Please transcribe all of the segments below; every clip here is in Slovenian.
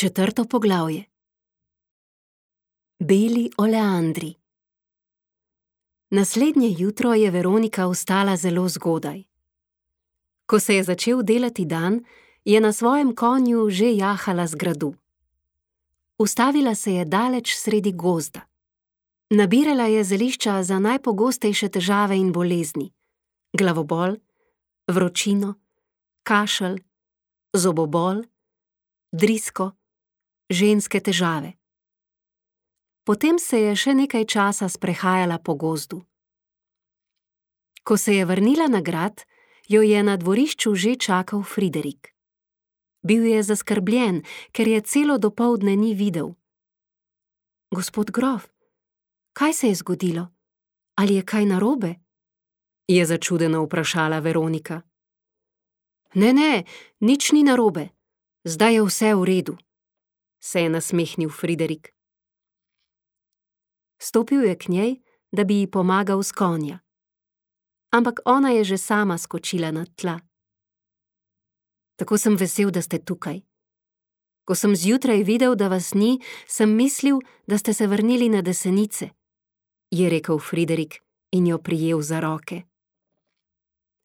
Četrto poglavje. Beli oleandri. Naslednje jutro je Veronika vstala zelo zgodaj. Ko se je začel delati dan, je na svojem konju že jahala z gradu. Ustavila se je daleč sredi gozda. Nabirala je zelišča za najpogostejše težave in bolezni: glavobol, vročino, kašelj, zobobol, drisko, ženske težave. Potem se je še nekaj časa sprehajala po gozdu. Ko se je vrnila na grad, jo je na dvorišču že čakal Friderik. Bil je zaskrbljen, ker je celo dopoldne ni videl. Gospod grof, kaj se je zgodilo? Ali je kaj narobe? Je začudeno vprašala Veronika. Ne, nič ni narobe. Zdaj je vse v redu, se je nasmehnil Friderik. Stopil je k njej, da bi ji pomagal s konja. Ampak ona je že sama skočila na tla. Tako sem vesel, da ste tukaj. Ko sem zjutraj videl, da vas ni, sem mislil, da ste se vrnili na Desenice, je rekel Friderik in jo prijel za roke.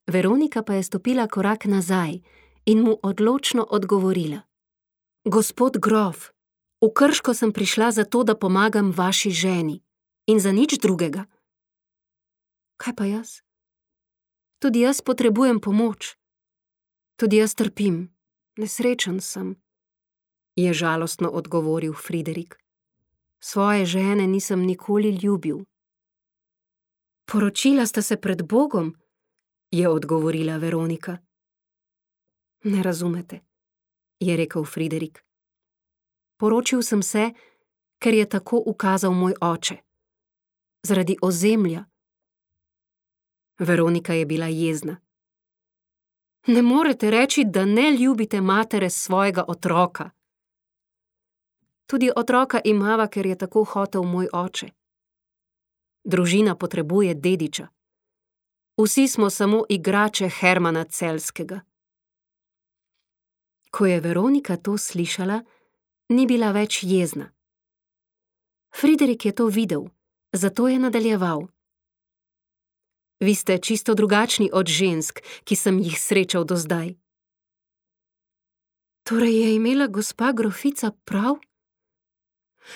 Veronika pa je stopila korak nazaj in mu odločno odgovorila. Gospod grof, v Krško sem prišla zato, da pomagam vaši ženi in za nič drugega. Kaj pa jaz? Tudi jaz potrebujem pomoč. Tudi jaz trpim, nesrečen sem, je žalostno odgovoril Friderik. Svoje žene nisem nikoli ljubil. Poročila sta se pred Bogom, je odgovorila Veronika. Ne razumete, je rekel Friderik. Poročil sem se, ker je tako ukazal moj oče. Zaradi ozemlja. Veronika je bila jezna. Ne morete reči, da ne ljubite matere svojega otroka. Tudi otroka imava, ker je tako hotel moj oče. Družina potrebuje dediča. Vsi smo samo igrače Hermana Celjskega. Ko je Veronika to slišala, ni bila več jezna. Friderik je to videl, zato je nadaljeval. Vi ste čisto drugačni od žensk, ki sem jih srečal do zdaj. Torej je imela gospa grofica prav?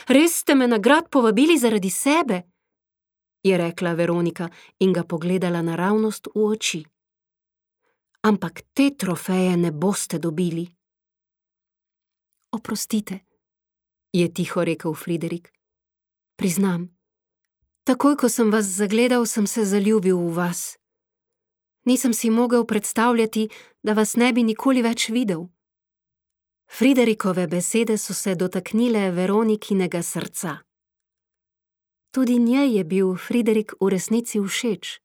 Res ste me na grad povabili zaradi sebe, je rekla Veronika in ga pogledala naravnost v oči. Ampak te trofeje ne boste dobili. Oprostite, je tiho rekel Friderik. Priznam, takoj, ko sem vas zagledal, sem se zaljubil v vas. Nisem si mogel predstavljati, da vas ne bi nikoli več videl. Friderikove besede so se dotaknile Veronikinega srca. Tudi njej je bil Friderik v resnici všeč.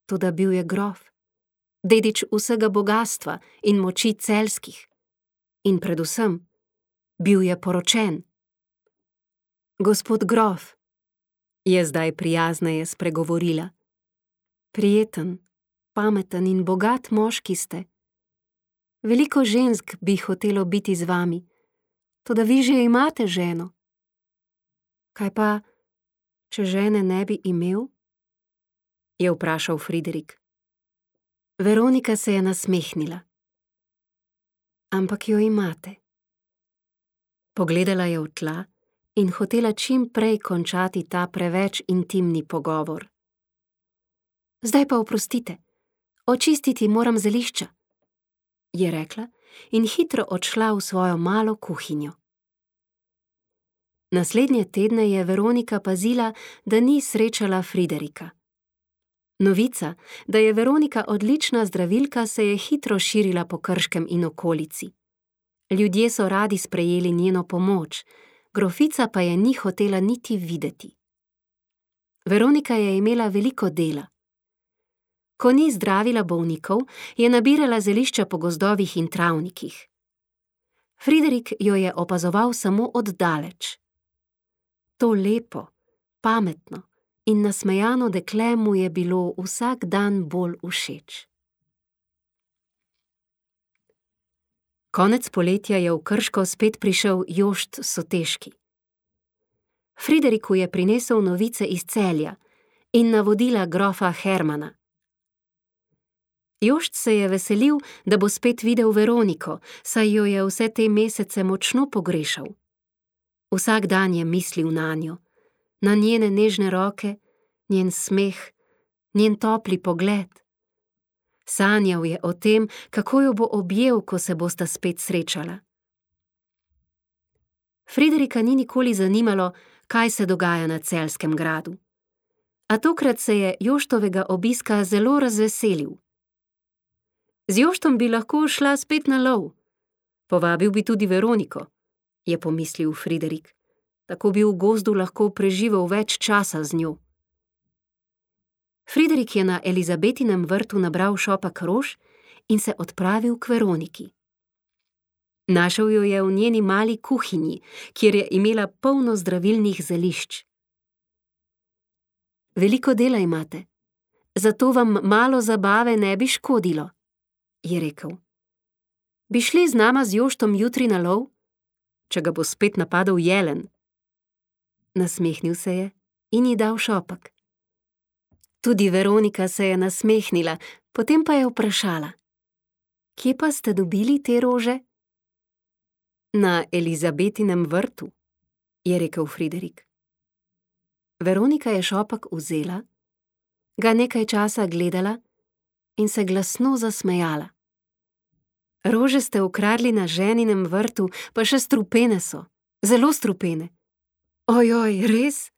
Toda bil je grof, dedič vsega bogastva in moči celjskih. In predvsem, bil je poročen. Gospod grof, je zdaj prijazneje spregovorila. Prijeten, pameten in bogat moški ste. Veliko žensk bi hotelo biti z vami, toda vi že imate ženo. Kaj pa, če žene ne bi imel? Je vprašal Friderik. Veronika se je nasmehnila. Ampak jo imate. Pogledala je v tla in hotela čim prej končati ta preveč intimni pogovor. Zdaj pa oprostite, očistiti moram zelišča, je rekla in hitro odšla v svojo malo kuhinjo. Naslednje tedne je Veronika pazila, da ni srečala Friderika. Novica, da je Veronika odlična zdravilka, se je hitro širila po Krškem in okolici. Ljudje so radi sprejeli njeno pomoč, grofica pa je ni hotela niti videti. Veronika je imela veliko dela. Ko ni zdravila bolnikov, je nabirala zelišča po gozdovih in travnikih. Friderik jo je opazoval samo od daleč. To lepo, pametno in nasmejano dekle mu je bilo vsak dan bolj všeč. Konec poletja je v Krško spet prišel Jošt Soteški. Frideriku je prinesel novice iz Celja in navodila grofa Hermana. Jošt se je veselil, da bo spet videl Veroniko, saj jo je vse te mesece močno pogrešal. Vsak dan je mislil nanjo, na njene nežne roke, njen smeh, njen topli pogled. Sanjal je o tem, kako jo bo objel, ko se bosta spet srečala. Friderika ni nikoli zanimalo, kaj se dogaja na Celjskem gradu. A tokrat se je Joštovega obiska zelo razveselil. Z Joštom bi lahko šla spet na lov. Povabil bi tudi Veroniko, je pomislil Friderik. Tako bi v gozdu lahko preživel več časa z njo. Friderik je na Elizabetinem vrtu nabral šopak rož in se odpravil k Veroniki. Našel jo je v njeni mali kuhinji, kjer je imela polno zdravilnih zelišč. Veliko dela imate, zato vam malo zabave ne bi škodilo, je rekel. Bi šli z nama z Joštom jutri na lov, če ga bo spet napadel jelen? Nasmehnil se je in ji dal šopak. Tudi Veronika se je nasmehnila, potem pa je vprašala. Kje pa ste dobili te rože? Na Elizabetinem vrtu, je rekel Friderik. Veronika je šopak vzela, ga nekaj časa gledala in se glasno zasmejala. Rože ste ukradli na ženinem vrtu, pa še strupene so, zelo strupene. Ojoj, res?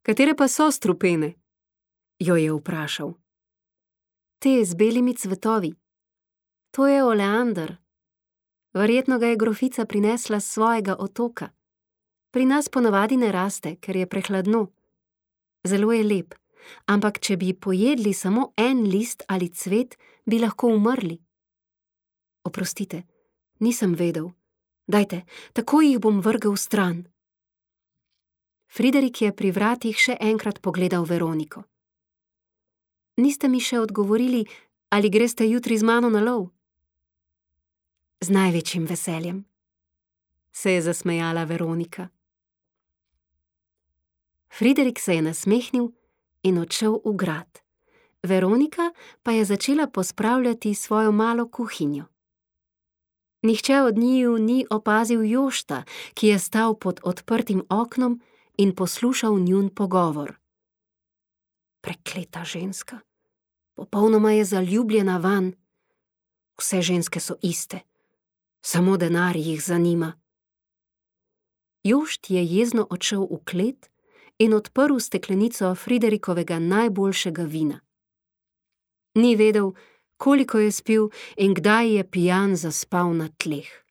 Katere pa so strupene? Jo je vprašal. Te z belimi cvetovi. To je oleander. Verjetno ga je grofica prinesla s svojega otoka. Pri nas ponavadi ne raste, ker je prehladno. Zelo je lep, ampak če bi pojedli samo en list ali cvet, bi lahko umrli. Oprostite, nisem vedel. Dajte, takoj jih bom vrgel stran. Friderik je pri vratih še enkrat pogledal Veroniko. Niste mi še odgovorili, ali greste jutri z mano na lov? Z največjim veseljem, se je zasmejala Veronika. Friderik se je nasmehnil in odšel v grad. Veronika pa je začela pospravljati svojo malo kuhinjo. Nihče od njiju ni opazil Jošta, ki je stal pod odprtim oknom in poslušal njun pogovor. Prekleta ženska, popolnoma je zaljubljena vanj. Vse ženske so iste, samo denar jih zanima. Jošt je jezno odšel v klet in odprl steklenico Friderikovega najboljšega vina. Ni vedel, koliko je spil in kdaj je pijan zaspal na tleh.